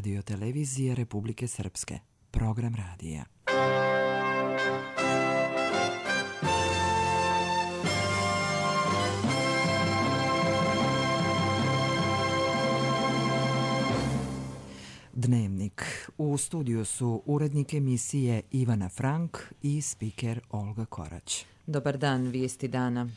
Radio-televizije Republike Srpske. Program radija. Dnevnik. U studiju su urednik emisije Ivana Frank i spiker Olga Korać. Dobar dan, vijesti dana.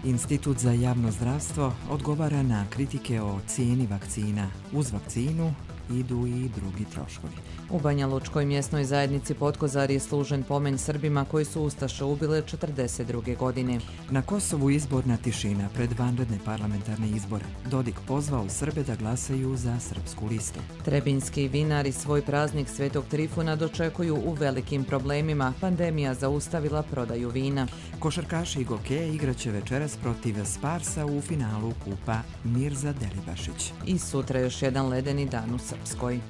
Institut za javno zdravstvo odgovara na kritike o cijeni vakcina. Uz vakcinu idu i drugi troškovi. U Banja Lučkoj mjesnoj zajednici Potkozar je služen pomen Srbima koji su ustaše ubile 1942. godine. Na Kosovu izborna tišina pred vanredne parlamentarne izbore. Dodik pozvao Srbe da glasaju za srpsku listu. Trebinjski vinari svoj praznik Svetog Trifuna dočekuju u velikim problemima. Pandemija zaustavila prodaju vina. Košarkaši i gokeje igraće večeras protiv Sparsa u finalu kupa Mirza Delibašić. I sutra još jedan ledeni dan u Srpskoj.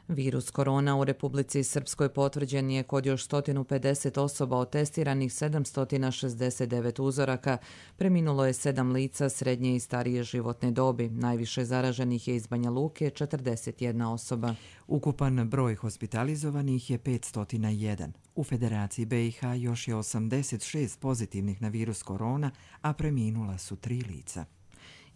Virus korona u Republici Srpskoj potvrđen je kod još 150 osoba od testiranih 769 uzoraka. Preminulo je 7 lica srednje i starije životne dobi. Najviše zaraženih je iz Banja Luke, 41 osoba. Ukupan broj hospitalizovanih je 501. U Federaciji BiH još je 86 pozitivnih na virus korona, a preminula su 3 lica.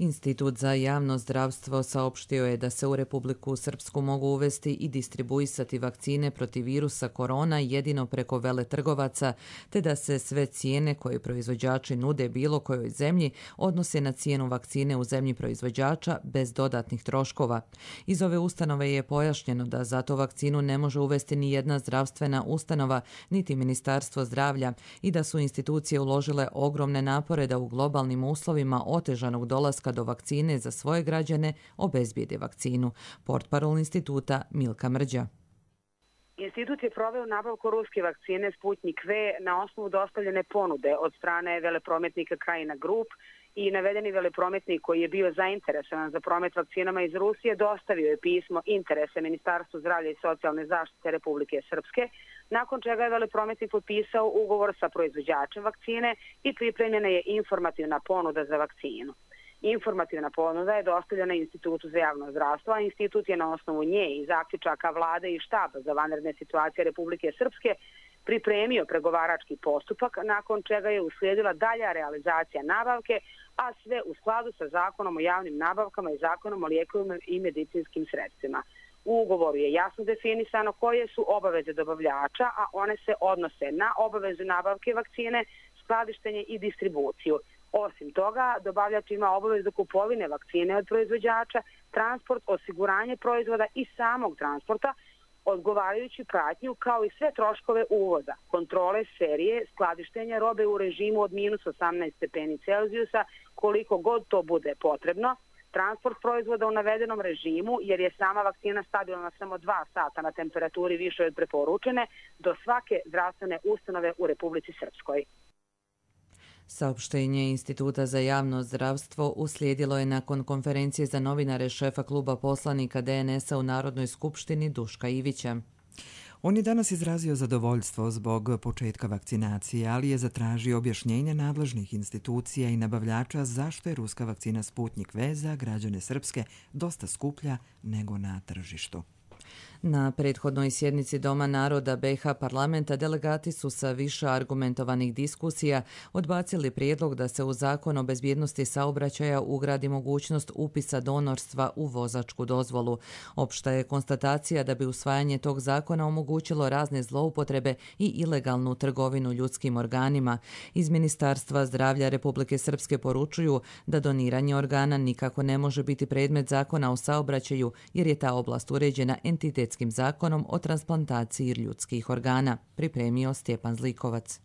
Institut za javno zdravstvo saopštio je da se u Republiku Srpsku mogu uvesti i distribuisati vakcine protiv virusa korona jedino preko veletrgovaca, te da se sve cijene koje proizvođači nude bilo kojoj zemlji odnose na cijenu vakcine u zemlji proizvođača bez dodatnih troškova. Iz ove ustanove je pojašnjeno da za to vakcinu ne može uvesti ni jedna zdravstvena ustanova, niti Ministarstvo zdravlja i da su institucije uložile ogromne napore da u globalnim uslovima otežanog dolaska do vakcine za svoje građane obezbijede vakcinu. Portparol instituta Milka Mrđa. Institut je proveo nabavku ruske vakcine Sputnik V na osnovu dostavljene ponude od strane veleprometnika Krajina Group i navedeni veleprometnik koji je bio zainteresovan za promet vakcinama iz Rusije dostavio je pismo interese Ministarstvu zdravlja i socijalne zaštite Republike Srpske, nakon čega je veleprometnik potpisao ugovor sa proizvođačem vakcine i pripremljena je informativna ponuda za vakcinu. Informativna ponuda je dostavljena Institutu za javno zdravstvo, a institut je na osnovu nje i zaključaka vlade i štaba za vanredne situacije Republike Srpske pripremio pregovarački postupak, nakon čega je uslijedila dalja realizacija nabavke, a sve u skladu sa Zakonom o javnim nabavkama i Zakonom o lijekovima i medicinskim sredstvima. U ugovoru je jasno definisano koje su obaveze dobavljača, a one se odnose na obavezu nabavke vakcine, skladištenje i distribuciju. Osim toga, dobavljač ima obavezu kupovine vakcine od proizvođača, transport, osiguranje proizvoda i samog transporta, odgovarajuću pratnju kao i sve troškove uvoza, kontrole serije, skladištenja robe u režimu od minus 18 stepeni Celzijusa, koliko god to bude potrebno, transport proizvoda u navedenom režimu, jer je sama vakcina stabilna samo 2 sata na temperaturi više od preporučene, do svake zdravstvene ustanove u Republici Srpskoj. Saopštenje Instituta za javno zdravstvo uslijedilo je nakon konferencije za novinare šefa kluba poslanika DNS-a u Narodnoj skupštini Duška Ivića. On je danas izrazio zadovoljstvo zbog početka vakcinacije, ali je zatražio objašnjenje nadležnih institucija i nabavljača zašto je ruska vakcina Sputnik V za građane Srpske dosta skuplja nego na tržištu. Na prethodnoj sjednici Doma naroda BiH parlamenta delegati su sa više argumentovanih diskusija odbacili prijedlog da se u Zakon o bezbjednosti saobraćaja ugradi mogućnost upisa donorstva u vozačku dozvolu. Opšta je konstatacija da bi usvajanje tog zakona omogućilo razne zloupotrebe i ilegalnu trgovinu ljudskim organima. Iz Ministarstva zdravlja Republike Srpske poručuju da doniranje organa nikako ne može biti predmet Zakona o saobraćaju jer je ta oblast uređena entitetskim zakonom o transplantaciji ljudskih organa, pripremio Stjepan Zlikovac.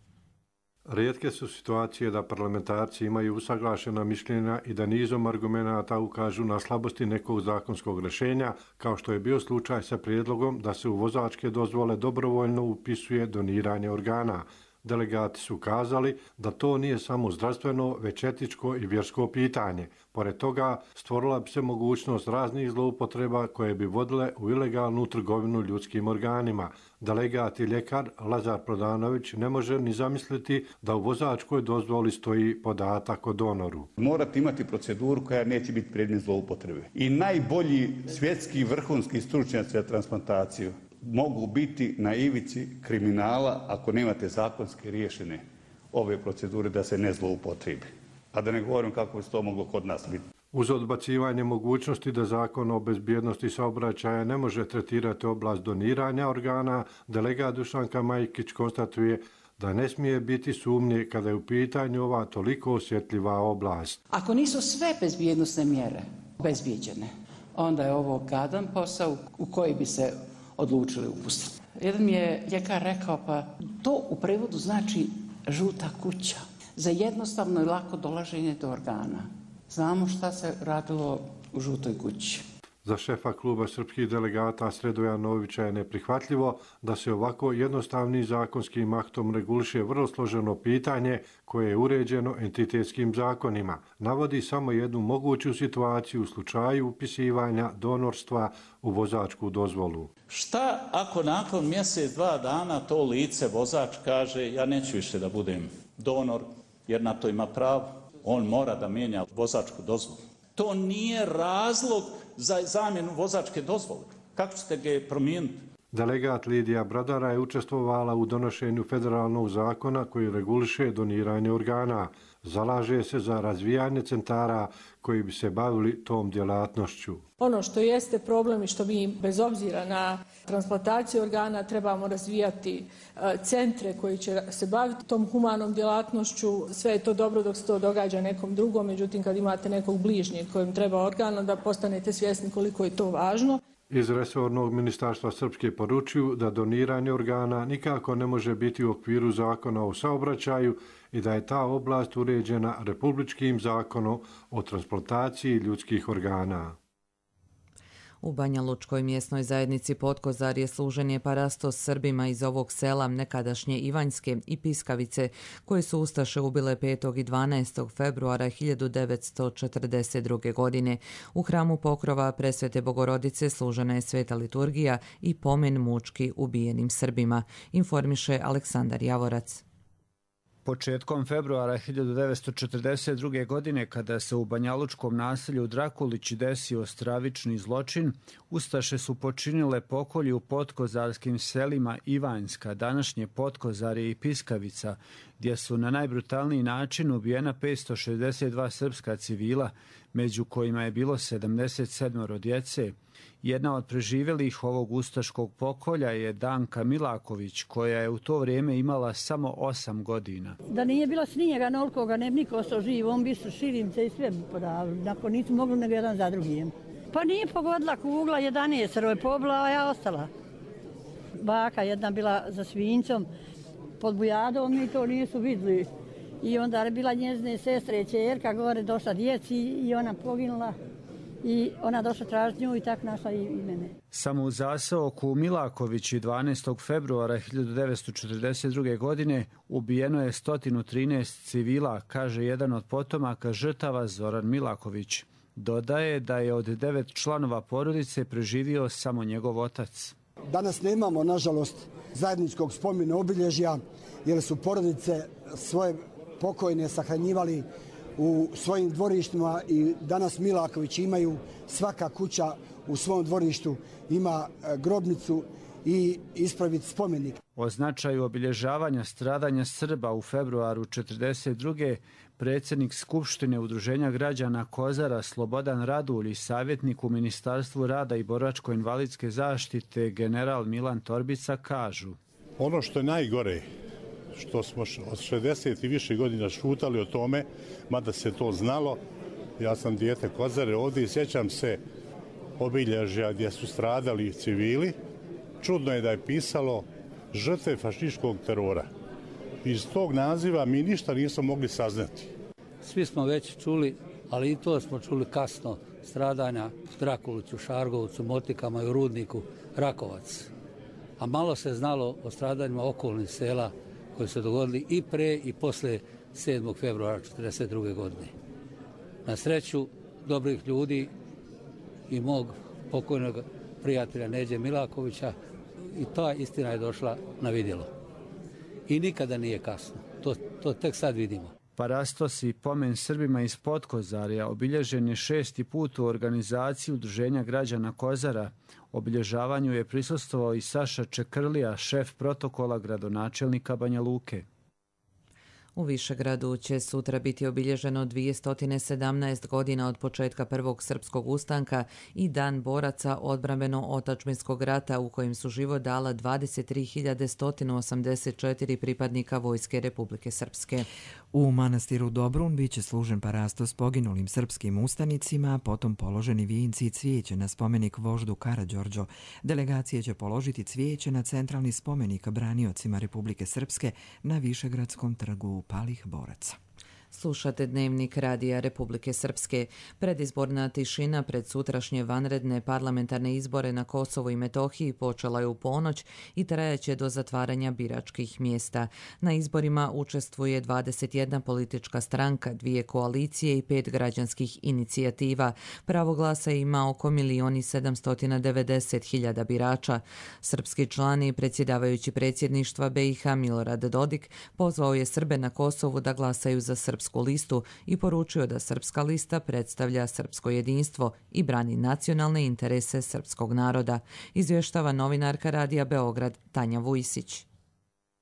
Rijetke su situacije da parlamentarci imaju usaglašena mišljenja i da nizom argumenata ukažu na slabosti nekog zakonskog rješenja, kao što je bio slučaj sa prijedlogom da se u vozačke dozvole dobrovoljno upisuje doniranje organa. delegati su kazali da to nije samo zdravstveno, već etičko i vjersko pitanje. Pored toga, stvorila bi se mogućnost raznih zloupotreba koje bi vodile u ilegalnu trgovinu ljudskim organima. Delegat i ljekar Lazar Prodanović ne može ni zamisliti da u vozačkoj dozvoli stoji podatak o donoru. Morate imati proceduru koja neće biti predmet zloupotrebe. I najbolji svjetski vrhunski stručnjaci za transplantaciju mogu biti na ivici kriminala ako nemate zakonske riješene ove procedure da se ne zloupotrebi. A da ne govorim kako bi to moglo kod nas biti. Uz odbacivanje mogućnosti da Zakon o bezbjednosti saobraćaja ne može tretirati oblast doniranja organa, delegat Dušanka Majkić konstatuje da ne smije biti sumnje kada je u pitanju ova toliko osjetljiva oblast. Ako nisu sve bezbjednosne mjere obezbijeđene, onda je ovo gadan posao u koji bi se odlučili upustiti. Jedan mi je ljekar rekao, pa to u prevodu znači žuta kuća za jednostavno i lako dolaženje do organa. Znamo šta se radilo u žutoj kući. Za šefa kluba srpskih delegata Sredoja Novića je neprihvatljivo da se ovako jednostavnim zakonskim aktom reguliše vrlo složeno pitanje koje je uređeno entitetskim zakonima. Navodi samo jednu moguću situaciju u slučaju upisivanja donorstva u vozačku dozvolu. Šta ako nakon mjesec, 2 dana to lice vozač kaže ja neću više da budem donor jer na to ima pravo? On mora da mijenja vozačku dozvolu. To nije razlog za zamjenu vozačke dozvole. Kako ćete ga promijeniti? Delegat Lidija Bradara je učestvovala u donošenju federalnog zakona koji reguliše doniranje organa. Zalaže se za razvijanje centara koji bi se bavili tom djelatnošću. Ono što jeste problem i što mi bez obzira na transplantaciju organa trebamo razvijati centre koji će se baviti tom humanom djelatnošću. Sve je to dobro dok se to događa nekom drugom, međutim kad imate nekog bližnjeg kojem treba organ, onda postanete svjesni koliko je to važno. Iz resornog ministarstva Srpske poručuju da doniranje organa nikako ne može biti u okviru zakona o saobraćaju i da je ta oblast uređena republičkim zakonom o transplantaciji ljudskih organa. U Banja Lučkoj mjesnoj zajednici Potkozarje služen je parastos Srbima iz ovog sela nekadašnje Ivanjske i Piskavice, koje su ustaše ubile 5. i 12. februara 1942. godine. U hramu Pokrova Presvete Bogorodice služena je sveta liturgija i pomen mučki ubijenim Srbima, informiše Aleksandar Javorac. Početkom februara 1942. godine, kada se u banjalučkom naselju Drakulići desio stravični zločin, ustaše su počinile pokolje u potkozarskim selima Ivanjska, današnje Potkozarje i Piskavica, gdje su na najbrutalniji način ubijena 562 srpska civila, među kojima je bilo 77 djece. Jedna od preživjelih ovog ustaškog pokolja je Danka Milaković, koja je u to vrijeme imala samo 8 godina. Da nije bilo snijega nolikoga, ne bi niko ostao živ, on bi su širimce i sve podavili. Nakon nisu mogli nego jedan za drugim. Pa nije pogodila kugla, 11 je pobila, a ja ostala. Baka jedna bila za svinjcom, pod bujadom i to nisu vidjeli. I onda je bila njezine sestre i čerka, gore došla djeci i ona poginula. I ona došla tražiti nju i tako našla i mene. Samo u zaseoku u Milakovići 12. februara 1942. godine ubijeno je 113 civila, kaže jedan od potomaka žrtava Zoran Milaković. Dodaje da je od 9 članova porodice preživio samo njegov otac. Danas nemamo, nažalost, zajedničkog spomena obilježja, jer su porodice svoje pokojne sahranjivali u svojim dvorištima i danas Milaković imaju, svaka kuća u svom dvorištu ima grobnicu i ispraviti spomenik. O značaju obilježavanja stradanja Srba u februaru 1942. predsjednik Skupštine Udruženja građana Kozara Slobodan Radulj i savjetnik u Ministarstvu rada i boračko-invalidske zaštite general Milan Torbica kažu: Ono što je najgore, što smo od 60 i više godina šutali o tome, mada se to znalo, ja sam dijete Kozare ovdje i sjećam se obilježja gdje su stradali civili. Čudno je da je pisalo žrtve fašističkog terora. Iz tog naziva mi ništa nismo mogli saznati. Svi smo već čuli, ali i to smo čuli kasno, stradanja u Drakuliću, Šargovcu, Motikama i u Rudniku, Rakovac. A malo se znalo o stradanjima okolnih sela koji su dogodili i pre i posle 7. februara 1942. godine. Na sreću dobrih ljudi i mog pokojnog prijatelja Neđe Milakovića i ta istina je došla na vidjelo. I nikada nije kasno. To tek sad vidimo. Parastos i pomen Srbima iz Potkozarja obilježen je 6. put u organizaciji Udruženja građana Kozara. Obilježavanju je prisustvovao i Saša Čekrlija, šef protokola gradonačelnika Banja Luke. U Višegradu će sutra biti obilježeno 217 godina od početka prvog srpskog ustanka i Dan boraca odbrambeno-otadžbinskog rata u kojem su život dala 23.184 pripadnika Vojske Republike Srpske. U manastiru Dobrun biće služen parastos poginulim srpskim ustanicima, potom položeni vijenci i cvijeće na spomenik voždu Karađorđo. Delegacije će položiti cvijeće na centralni spomenik braniocima Republike Srpske na Višegradskom trgu palih boraca. Slušate Dnevnik Radija Republike Srpske. Predizborna tišina pred sutrašnje vanredne parlamentarne izbore na Kosovu i Metohiji počela je u ponoć i trajaće do zatvaranja biračkih mjesta. Na izborima učestvuje 21 politička stranka, 2 koalicije i 5 građanskih inicijativa. Pravo glasa ima oko 1.790.000 birača. Srpski član i predsjedavajući predsjedništva BiH Milorad Dodik pozvao je Srbe na Kosovu da glasaju za srpsku listu i poručio da srpska lista predstavlja srpsko jedinstvo i brani nacionalne interese srpskog naroda, izvještava novinarka Radija Beograd Tanja Vujsić.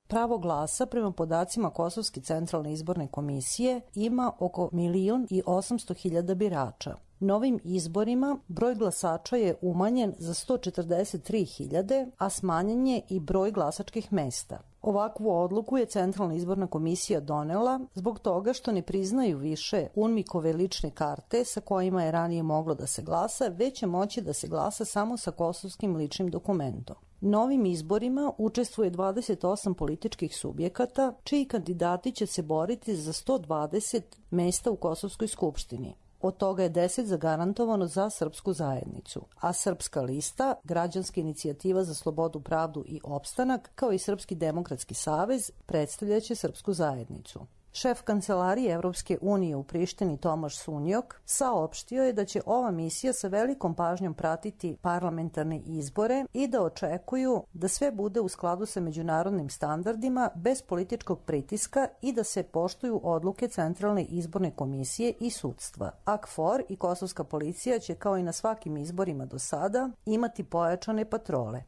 Pravo glasa, prema podacima Kosovske centralne izborne komisije, ima oko 1.800.000 birača. Novim izborima broj glasača je umanjen za 143.000, a smanjen je i broj glasačkih mesta. Ovakvu odluku je Centralna izborna komisija donela zbog toga što ne priznaju više UNMIK-ove lične karte sa kojima je ranije moglo da se glasa, već će moći da se glasa samo sa kosovskim ličnim dokumentom. Novim izborima učestvuje 28 političkih subjekata, čiji kandidati će se boriti za 120 mesta u Kosovskoj skupštini. Od toga je 10 zagarantovano za srpsku zajednicu, a Srpska lista, Građanska inicijativa za slobodu, pravdu i opstanak, kao i Srpski demokratski savez, predstavljaće srpsku zajednicu. Šef kancelarije Evropske unije u Prištini Tomaš Sunjok saopštio je da će ova misija sa velikom pažnjom pratiti parlamentarne izbore i da očekuju da sve bude u skladu sa međunarodnim standardima bez političkog pritiska i da se poštuju odluke Centralne izborne komisije i sudstva. KFOR i kosovska policija će kao i na svakim izborima do sada imati pojačane patrole.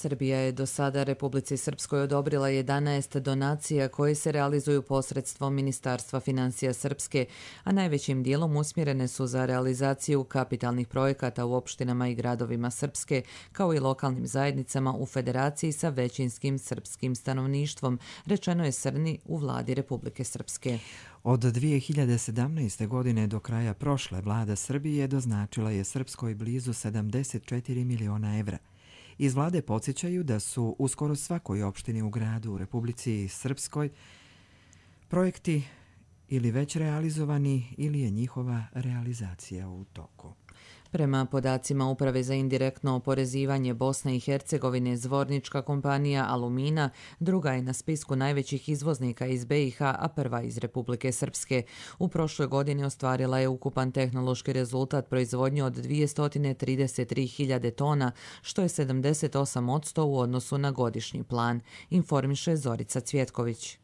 Srbija je do sada Republici Srpskoj odobrila 11 donacija koje se realizuju posredstvom Ministarstva financija Srpske, a najvećim dijelom usmjerene su za realizaciju kapitalnih projekata u opštinama i gradovima Srpske, kao i lokalnim zajednicama u federaciji sa većinskim srpskim stanovništvom, rečeno je Srni u vladi Republike Srpske. Od 2017. godine do kraja prošle vlada Srbije doznačila je Srpskoj blizu 74 miliona evra. Iz vlade podsjećaju da su u skoro svakoj opštini u gradu u Republici Srpskoj projekti ili već realizovani ili je njihova realizacija u toku. Prema podacima Uprave za indirektno oporezivanje Bosne i Hercegovine, zvornička kompanija Alumina druga je na spisku najvećih izvoznika iz BiH, a prva iz Republike Srpske. U prošloj godini ostvarila je ukupan tehnološki rezultat proizvodnje od 233.000 tona, što je 78% u odnosu na godišnji plan, informiše Zorica Cvjetković.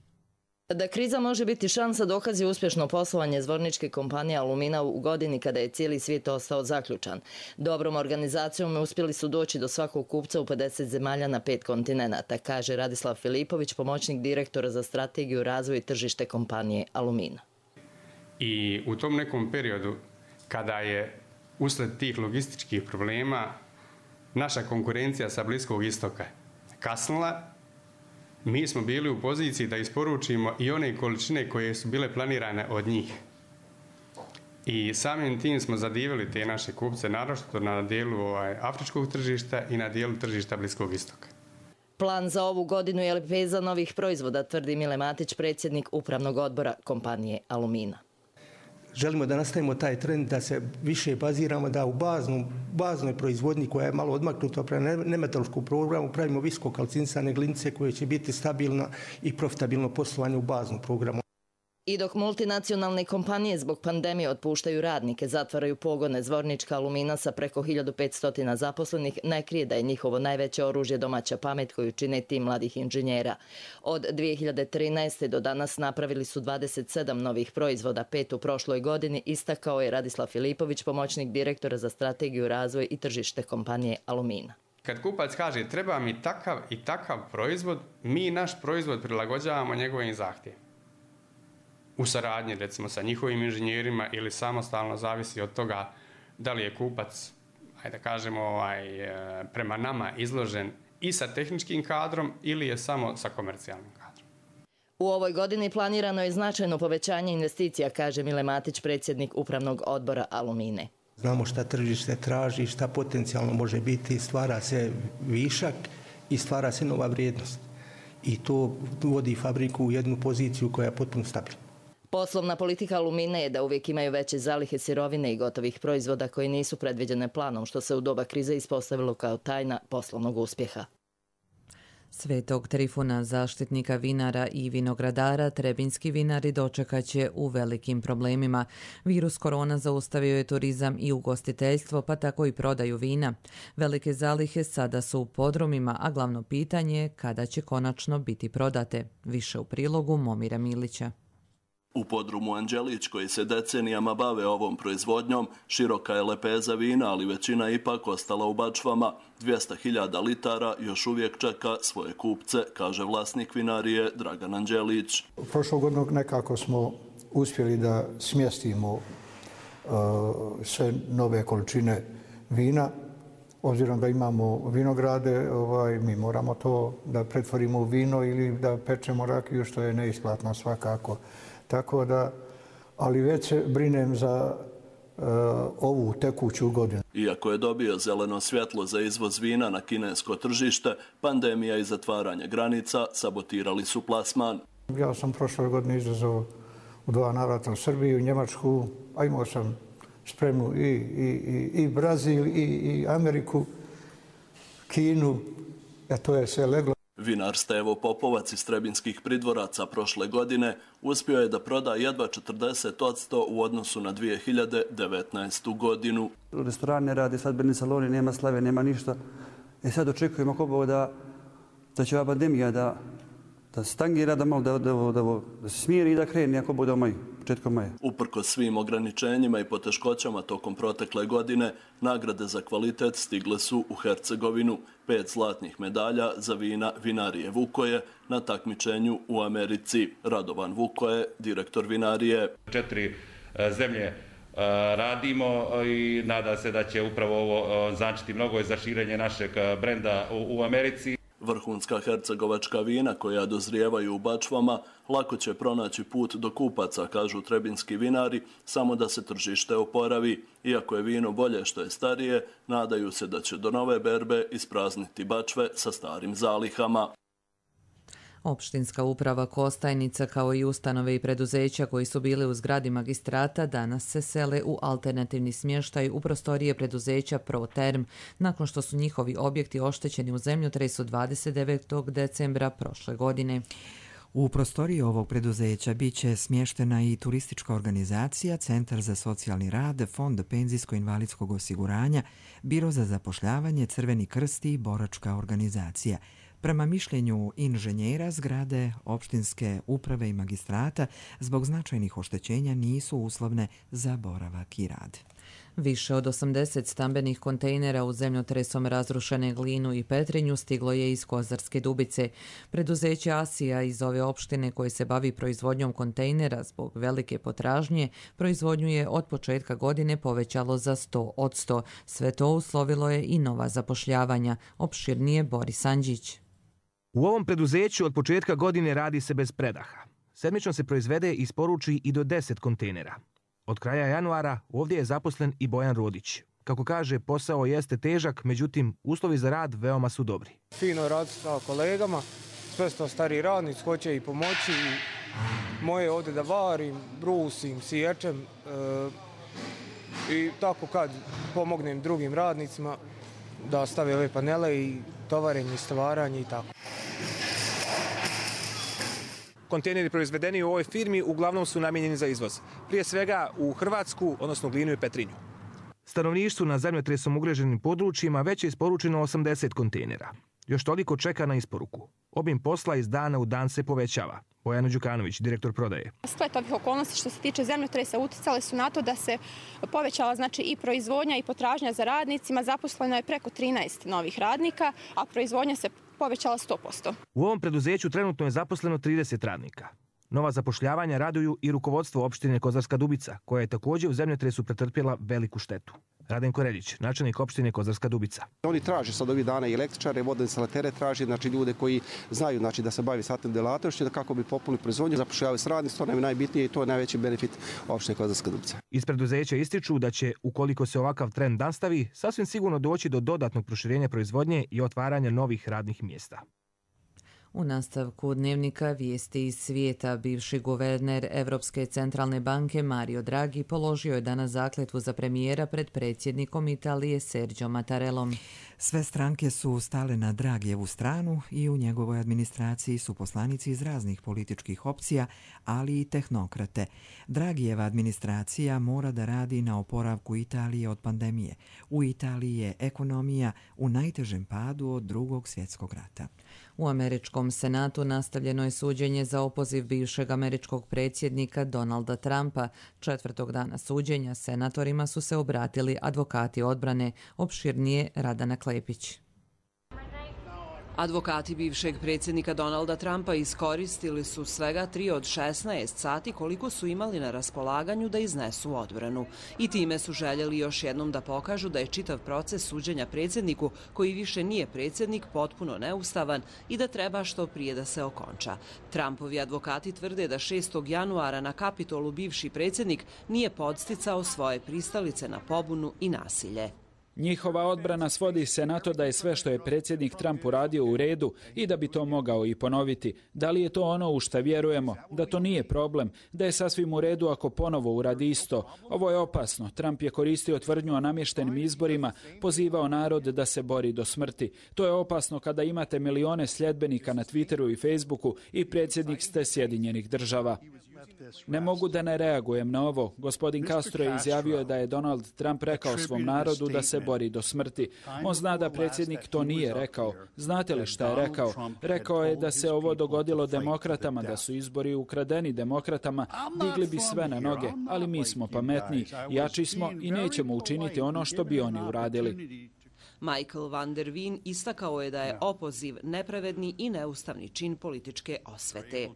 Da kriza može biti šansa dokazi uspješno poslovanje zvorničke kompanije Alumina u godini kada je cijeli svijet ostao zaključan. Dobrom organizacijom uspjeli su doći do svakog kupca u 50 zemalja na 5 kontinenata, kaže Radislav Filipović, pomoćnik direktora za strategiju, razvoj i tržište kompanije Alumina. I u tom nekom periodu kada je usled tih logističkih problema naša konkurencija sa Bliskog istoka kasnila, mi smo bili u poziciji da isporučimo i one količine koje su bile planirane od njih. I samim tim smo zadivili te naše kupce, naročito na dijelu afričkog tržišta i na dijelu tržišta Bliskog istoka. Plan za ovu godinu je lepeza novih proizvoda, tvrdi Mile Matić, predsjednik upravnog odbora kompanije Alumina. želimo da nastavimo taj trend, da se više baziramo, da u baznoj proizvodnji koja je malo odmaknuta prema nemetalskom programu pravimo viskokalcinisane glinice koje će biti stabilna i profitabilno poslovanje u baznom programu. I dok multinacionalne kompanije zbog pandemije otpuštaju radnike, zatvaraju pogone, Zvornička Alumina sa preko 1500 zaposlenih ne krije da je njihovo najveće oružje domaća pamet koju čine tim mladih inženjera. Od 2013. do danas napravili su 27 novih proizvoda, 5 u prošloj godini, istakao je Radislav Filipović, pomoćnik direktora za strategiju, razvoj i tržište kompanije Alumina. Kad kupac kaže treba mi takav i takav proizvod, mi naš proizvod prilagođavamo njegovim zahtjevima. U saradnji, recimo, sa njihovim inženjerima ili samostalno, zavisi od toga da li je kupac, ajde da kažemo, prema nama izložen i sa tehničkim kadrom ili je samo sa komercijalnim kadrom. U ovoj godini planirano je značajno povećanje investicija, kaže Mile Matić, predsjednik upravnog odbora Alumine. Znamo šta tržište traži, šta potencijalno može biti, stvara se višak i stvara se nova vrijednost. I to vodi fabriku u jednu poziciju koja je potpuno stabilna. Poslovna politika Alumine je da uvijek imaju veće zalihe sirovine i gotovih proizvoda koji nisu predviđene planom, što se u doba krize ispostavilo kao tajna poslovnog uspjeha. Svetog Trifuna, zaštitnika vinara i vinogradara, trebinjski vinari dočekaće u velikim problemima. Virus korona zaustavio je turizam i ugostiteljstvo, pa tako i prodaju vina. Velike zalihe sada su u podrumima, a glavno pitanje je kada će konačno biti prodate. Više u prilogu Momira Milića. U podrumu Anđelić, koji se decenijama bave ovom proizvodnjom, široka je lepeza vina, ali većina ipak ostala u bačvama. 200.000 litara još uvijek čeka svoje kupce, kaže vlasnik vinarije Dragan Anđelić. Prošlog godinu nekako smo uspjeli da smjestimo sve nove količine vina. Obzirom da imamo vinograde, mi moramo to da pretvorimo u vino ili da pečemo rakiju, što je neisplatno svakako. Tako da, ali već se brinem za ovu tekuću godinu. Iako je dobio zeleno svjetlo za izvoz vina na kinesko tržište, pandemija i zatvaranje granica sabotirali su plasman. Ja sam prošle godine izvezao u 2 navrata u Srbiju, Njemačku, a imao sam spremnu i Brazil, i Ameriku, Kinu, to je sve leglo. Vinar Stevo Popovac iz Trebinskih Pridvoraca prošle godine uspio je da proda jedva 40% u odnosu na 2019. godinu. Restoran ne radi, svadbeni saloni, nema slave, nema ništa. Sad očekujemo ako Bog da će ova pandemija da stangira, da se smiri i da krene ako bude početkom maja. Uprkos svim ograničenjima i poteškoćama tokom protekle godine, nagrade za kvalitet stigle su u Hercegovinu. 5 zlatnih medalja za vina vinarije Vukoje na takmičenju u Americi. Radovan Vukoje, direktor vinarije. 4 zemlje radimo i nada se da će upravo ovo značiti mnogo za širenje našeg brenda u Americi. Vrhunska hercegovačka vina koja dozrijevaju u bačvama lako će pronaći put do kupaca, kažu trebinski vinari, samo da se tržište oporavi. Iako je vino bolje što je starije, nadaju se da će do nove berbe isprazniti bačve sa starim zalihama. Opštinska uprava Kostajnica, kao i ustanove i preduzeća koji su bili u zgradi magistrata, danas se sele u alternativni smještaj u prostorije preduzeća ProTerm, nakon što su njihovi objekti oštećeni u zemljotresu 29. decembra prošle godine. U prostoriji ovog preduzeća biće smještena i turistička organizacija, Centar za socijalni rad, Fond penzijsko-invalidskog osiguranja, Biro za zapošljavanje, Crveni krst i boračka organizacija. Prema mišljenju inženjera, zgrade opštinske uprave i magistrata zbog značajnih oštećenja nisu uslovne za boravak i rad. Više od 80 stambenih kontejnera u zemljotresom razrušene Glinu i Petrinju stiglo je iz Kozarske Dubice. Preduzeće Asija iz ove opštine koje se bavi proizvodnjom kontejnera zbog velike potražnje, proizvodnju je od početka godine povećalo za 100%. Sve to uslovilo je i nova zapošljavanja. Opširnije Boris Andžić. U ovom preduzeću od početka godine radi se bez predaha. Sedmično se proizvede i isporuči i do 10 kontejnera. Od kraja januara ovdje je zaposlen i Bojan Rodić. Kako kaže, posao jeste težak, međutim, uslovi za rad veoma su dobri. Fino je raditi sa kolegama, sve sto stari radnici, hoće i pomoći, moje ovdje da varim, brusim, siječem i tako kad pomognem drugim radnicima da stave ove panele i tovarenje i stvaranje i tako. Kontejneri proizvedeni u ovoj firmi uglavnom su namijenjeni za izvoz. Prije svega u Hrvatsku, odnosno Glinu i Petrinju. Stanovništvu na zemljotresom ugroženim područjima već je isporučeno 80 kontejnera. Još toliko čeka na isporuku. Obim posla iz dana u dan se povećava. Bojana Đukanović, direktor prodaje. Splet ovih okolnosti što se tiče zemljotresa uticale su na to da se povećala i proizvodnja i potražnja za radnicima. Zaposleno je preko 13 novih radnika, a proizvodnja se povećala 100%. U ovom preduzeću trenutno je zaposleno 30 radnika. Nova zapošljavanja raduju i rukovodstvo opštine Kozarska Dubica, koja je također u zemljotresu pretrpjela veliku štetu. Radenko Reljić, načelnik opštine Kozarska Dubica. Oni traže sad ovih dana i električare, vodoinstalatere traže, ljude koji znaju da se bavi satnim delatnošću, kako bi popunili proizvodnju, zapošljavaju s radnicima, to nam je najbitnije i to je najveći benefit opštine Kozarska Dubica. Iz preduzeća ističu da će, ukoliko se ovakav trend nastavi, sasvim sigurno doći do dodatnog proširenja proizvodnje i otvaranja novih radnih mjesta. U nastavku dnevnika vijesti iz svijeta, bivši guverner Evropske centralne banke Mario Draghi položio je danas zakletvu za premijera pred predsjednikom Italije Sergio Mattarellom. Sve stranke su stale na Draghijevu stranu i u njegovoj administraciji su poslanici iz raznih političkih opcija, ali i tehnokrate. Draghijeva administracija mora da radi na oporavku Italije od pandemije. U Italiji je ekonomija u najtežem padu od Drugog svjetskog rata. U američkom senatu nastavljeno je suđenje za opoziv bivšeg američkog predsjednika Donalda Trumpa. Četvrtog dana suđenja senatorima su se obratili advokati odbrane, opširnije Radana Klepić. Advokati bivšeg predsjednika Donalda Trumpa iskoristili su svega 3 od 16 sati koliko su imali na raspolaganju da iznesu odbranu. I time su željeli još jednom da pokažu da je čitav proces suđenja predsjedniku, koji više nije predsjednik, potpuno neustavan i da treba što prije da se okonča. Trumpovi advokati tvrde da 6. januara na Kapitolu bivši predsjednik nije podsticao svoje pristalice na pobunu i nasilje. Njihova odbrana svodi se na to da je sve što je predsjednik Trump uradio u redu i da bi to mogao i ponoviti. Da li je to ono u šta vjerujemo? Da to nije problem, da je sasvim u redu ako ponovo uradi isto. Ovo je opasno. Trump je koristio tvrdnju o namještenim izborima, pozivao narod da se bori do smrti. To je opasno kada imate milione sljedbenika na Twitteru i Facebooku i predsjednik ste Sjedinjenih Država. Ne mogu da ne reagujem na ovo. Gospodin Castro je izjavio da je Donald Trump rekao svom narodu da se bori do smrti. On zna da predsjednik to nije rekao. Znate li šta je rekao? Rekao je da se ovo dogodilo demokratama, da su izbori ukradeni demokratama, digli bi sve na noge, ali mi smo pametniji, jači smo i nećemo učiniti ono što bi oni uradili. Michael van der Wien istakao je da je opoziv nepravedni i neustavni čin političke osvete.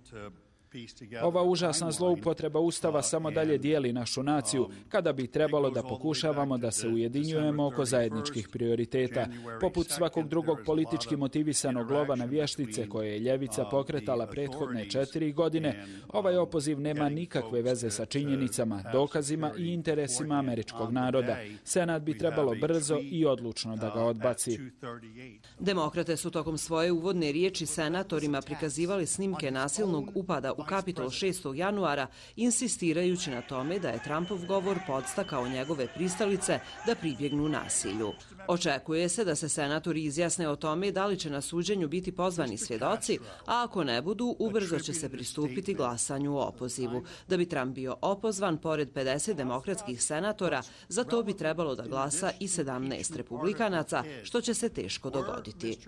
Ova užasna zloupotreba Ustava samo dalje dijeli našu naciju, kada bi trebalo da pokušavamo da se ujedinjujemo oko zajedničkih prioriteta. Poput svakog drugog politički motivisanog lova na vještice koje je ljevica pokretala prethodne 4 godine, ovaj opoziv nema nikakve veze sa činjenicama, dokazima i interesima američkog naroda. Senat bi trebalo brzo i odlučno da ga odbaci. Demokrate su tokom svoje uvodne riječi senatorima prikazivali snimke nasilnog upada u Kapitol 6. januara, insistirajući na tome da je Trumpov govor podstakao njegove pristalice da pribjegnu nasilju. Očekuje se da se senatori izjasne o tome da li će na suđenju biti pozvani svjedoci, a ako ne budu, ubrzo će se pristupiti glasanju o opozivu. Da bi Trump bio opozvan, pored 50 demokratskih senatora, za to bi trebalo da glasa i 17 republikanaca, što će se teško dogoditi.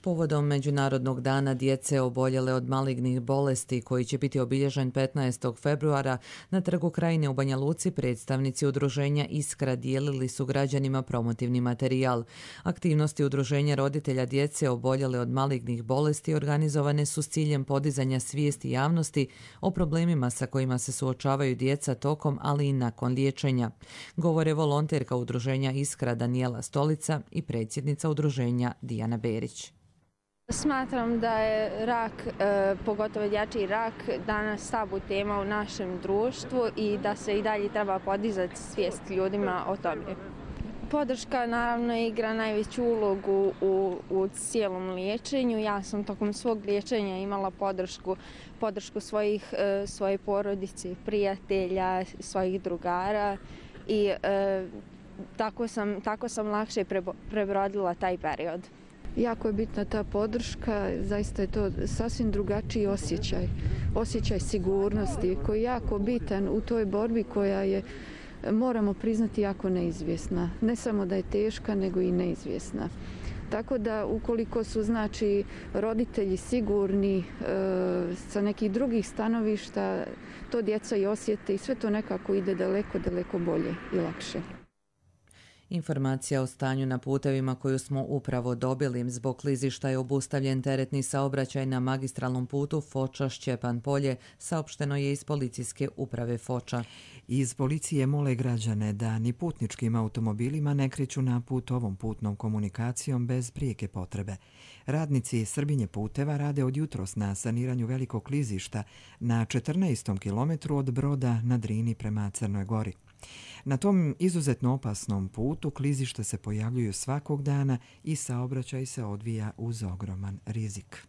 Povodom Međunarodnog dana djece oboljele od malignih bolesti, koji će biti obilježen 15. februara, na Trgu Krajine u Banja Luci predstavnici udruženja Iskra dijelili su građanima promotivni materijal. Aktivnosti udruženja roditelja djece oboljele od malignih bolesti organizovane su s ciljem podizanja svijesti javnosti o problemima sa kojima se suočavaju djeca tokom, ali i nakon liječenja. Govore volonterka udruženja Iskra Danijela Stolica i predsjednica udruženja Dijana Berić. Smatram da je rak, pogotovo dječji rak, danas tabu tema u našem društvu i da se i dalje treba podizati svijest ljudima o tome. Podrška naravno igra najveću ulogu u cijelom liječenju. Ja sam tokom svog liječenja imala podršku svoje porodice, prijatelja, svojih drugara i tako sam lakše prebrodila taj period. Jako je bitna ta podrška, zaista je to sasvim drugačiji osjećaj sigurnosti koji je jako bitan u toj borbi koja je, moramo priznati, jako neizvjesna. Ne samo da je teška, nego i neizvjesna. Tako da ukoliko su znači roditelji sigurni sa nekih drugih stanovišta, to djeca i osjete i sve to nekako ide daleko, daleko bolje i lakše. Informacija o stanju na putevima koju smo upravo dobili. Zbog klizišta je obustavljen teretni saobraćaj na magistralnom putu Foča-Šćepan Polje, saopšteno je iz policijske uprave Foča. Iz policije mole građane da ni putničkim automobilima ne kreću na put ovom putnom komunikacijom bez prijeke potrebe. Radnici Srbinje puteva rade od jutros na saniranju velikog klizišta na 14. kilometru od Broda na Drini prema Crnoj Gori. Na tom izuzetno opasnom putu klizišta se pojavljuju svakog dana i saobraćaj se odvija uz ogroman rizik.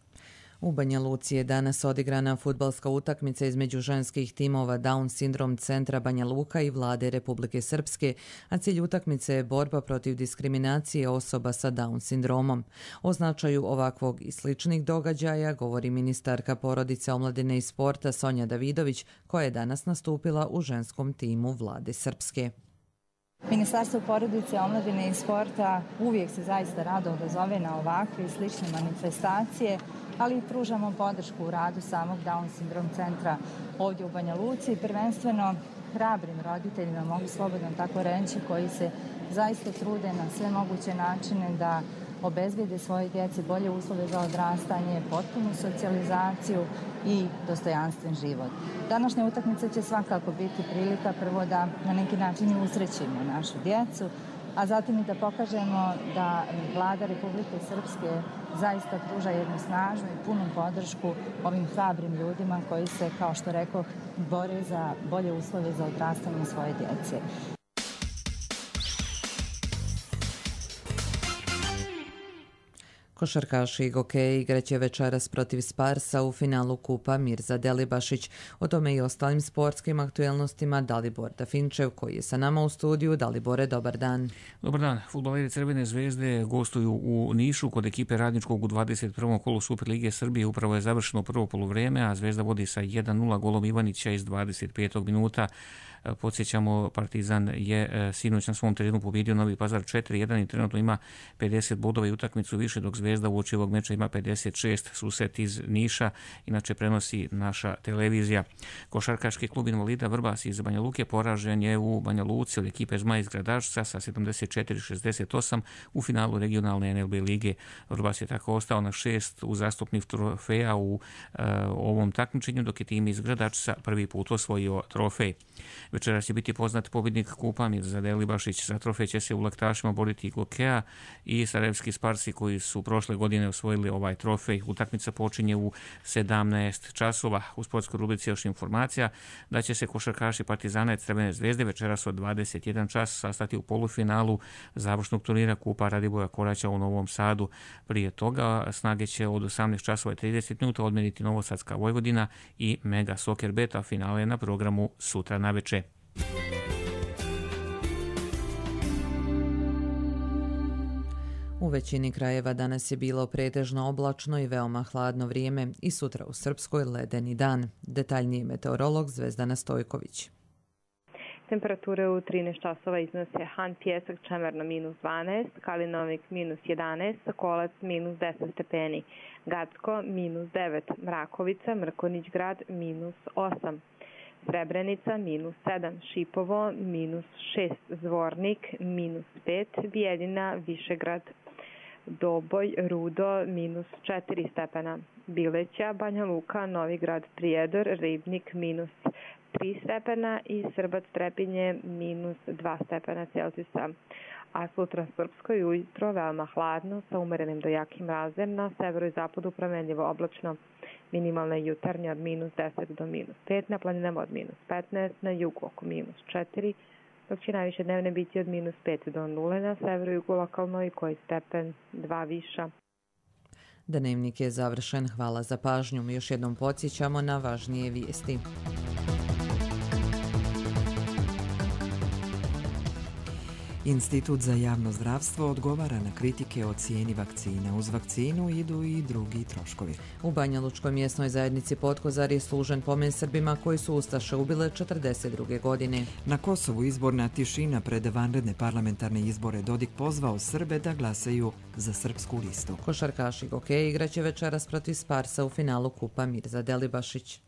U Banja Luci je danas odigrana fudbalska utakmica između ženskih timova Down sindrom centra Banja Luka i vlade Republike Srpske, a cilj utakmice je borba protiv diskriminacije osoba sa Down sindromom. O značaju ovakvog i sličnih događaja govori ministarka porodice, omladine i sporta Sonja Davidović, koja je danas nastupila u ženskom timu vlade Srpske. Ministarstvo porodice, omladine i sporta uvijek se zaista rado odazove na ovakve i slične manifestacije, ali i pružamo podršku u radu samog Down sindrom centra ovdje u Banja Luci, prvenstveno hrabrim roditeljima, mogu slobodno tako reći, koji se zaista trude na sve moguće načine da obezbede svoje djeci bolje uslove za odrastanje, potpunu socijalizaciju i dostojanstven život. Današnja utakmica će svakako biti prilika prvo da na neki način i usrećimo našu djecu, a zatim i da pokažemo da vlada Republike Srpske zaista pruža jednu snažnu i punu podršku ovim hrabrim ljudima koji se, kao što rekoh, bore za bolje uslove za odrastanje svoje djece. Košarkaši Gokeji igraće večeras protiv Sparsa u finalu Kupa Mirza Delibašić. O tome i ostalim sportskim aktuelnostima Dalibor Dafinčev, koji je sa nama u studiju. Dalibore, dobar dan. Dobar dan. Fudbaleri Crvene zvezde gostuju u Nišu kod ekipe Radničkog u 21. kolu Superlige Srbije. Upravo je završeno prvo poluvrijeme, a Zvezda vodi sa 1-0 golom Ivanića iz 25. minuta. Podsjećamo, Partizan je sinoć na svom terenu pobjedio Novi Pazar 4-1 i trenutno ima 50 bodova i utakmicu više, dok Zvezda u oči ovog meča ima 56. Susret iz Niša, inače prenosi naša televizija. Košarkaški klub invalida Vrbas iz Banja Luke poražen je u Banja Luci od ekipe Zmaj iz Gradačca sa 74-68 u finalu regionalne NLB lige. Vrbas je tako ostao na 6 uzastopnih trofeja u ovom takmičenju, dok je tim iz Gradačca prvi put osvojio trofej. Večeras će biti poznat pobjednik Kupa Mirza Delibašić. Za trofej će se u laktašima boriti Gokeja i sarajevski Sparsi koji su prošle godine osvojili ovaj trofej. Utakmica počinje u 17 časova. U sportskoj rubrici još informacija da će se košarkaši Partizana i Crvene zvezde večeras od 21 čas sastati u polufinalu završnog turnira Kupa Radivoja Koraća u Novom Sadu. Prije toga snage će od 18 časova i 30 minuta odmeniti Novosadska Vojvodina i Mega Soccer Bet, a finale je na programu sutra naveče. U većini krajeva danas je bilo pretežno oblačno i veoma hladno vrijeme i sutra u Srpskoj ledeni dan. Detaljniji meteorolog Zvezdana Stojković. Temperature u 13 časova iznose Han Pjesak Čemerno -12, Kalinovik -11, Sokolac -10 stepeni, Gacko -9, Mrakovica, Mrkonjić grad -8. Srebrenica -7, Šipovo -6, Zvornik -5, Bijeljina, Višegrad, Doboj, Rudo -4 stepena, Bileća, Banja Luka, Novi Grad, Prijedor, Ribnik -3 stepena i Srbac Trepinje -2 stepena Celzijusa. A sutra Srpskoj ujutro veoma hladno sa umerenim do jakim mrazem, na severu i zapadu promenljivo oblačno. Minimalne jutarnje od -10 do -5, na planinama od -15, na jugu oko -4, dok će najviše dnevne biti od -5 do 0 na severu-jugu lokalno i koji stepen 2 viša. Dnevnik je završen. Hvala za pažnju. Još jednom podsjećamo na važnije vijesti. Institut za javno zdravstvo odgovara na kritike o cijeni vakcina. Uz vakcinu idu i drugi troškovi. U Banjalučkoj mjesnoj zajednici Potkozar je služen pomen Srbima koji su ustaše ubile 42. godine. Na Kosovu izborna tišina pred vanredne parlamentarne izbore. Dodik pozvao Srbe da glasaju za srpsku listu. Košarkaši Gokeja igraće večeras protiv Sparsa u finalu Kupa Mirza Delibašić.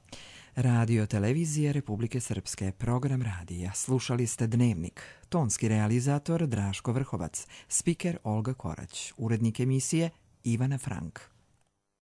Radio televizije Republike Srpske, program radija. Slušali ste Dnevnik. Tonski realizator Draško Vrhovac, spiker Olga Korać, urednik emisije Ivana Frank.